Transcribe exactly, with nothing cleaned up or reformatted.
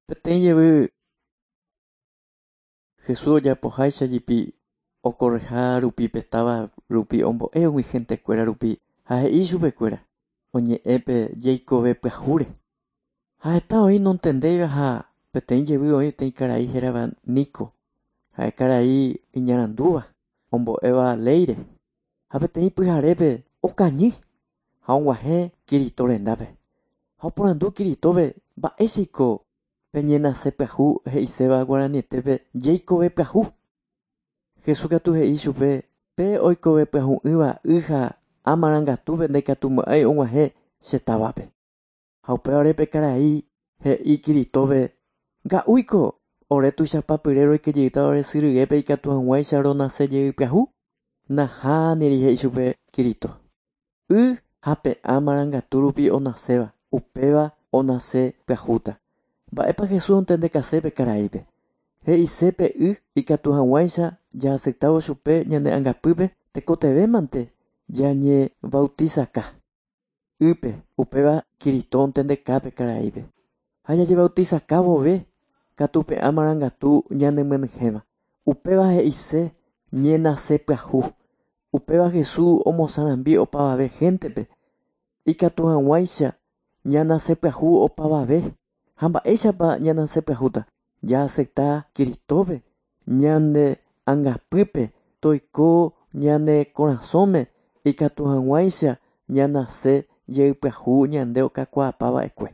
Peteĩ jevy Jesús ojapoháicha jepi okorreha rupi pe táva rupi ombo'e umi gentekuéra rupi ha he'i chupekuéra oñe'ẽpe jeikove pyahúre. Ha heta oĩ nontendéiva ha peteĩ jevy oĩ peteĩ karai hérava Nico ha'e karai iñarandúva ombo'éva léire ha peteĩ pyharépe okañy ha og̃uahẽ Kirito rendápe. Ha oporandu Kiritópe mba'éichaiko peñenase pyahu he'iséva guaranietépe jeikove pyahu. Jesús katu he'i chupe pe oikove pyahu'ỹva y ha amarangatúpe ndaikatumo'ãi og̃uahẽ che távape. Ha upévare pe karai he'i Kiritópe nga'úiko ore tuichapapyre roikejeyta ore sy ryguépe ikatu hag̃uáicha ronase jey pyahu. Nahániri he'i chupe Kirito. Y ha pe amarangatu rupi onaséva upéva onase pyahúta. Mba'épa Jesús ontendekase pe karaípe. He'ise pe y ikatu hag̃uáicha jaaceptávo chupe ñane angapýpe tekotevémante jañebautizaka. Ýpe upéva Kirito ontendeka pe karaípe. Ha jajebautizaka vove katu pe amarangatu ñanemyenyhẽva. Upéva he'ise ñenase pyahu. Upéva Jesús omosarambi opavave gentepe. Ikatu hag̃uáicha ñanase pyahu opavave. Ha mba'éichapa ñanase pyahúta. Jaacepta Kiritópe ñane angapýpe toiko ñane korasõme ikatu hag̃uáicha ñanase jey pyahu ñande okakuaapava'ekue.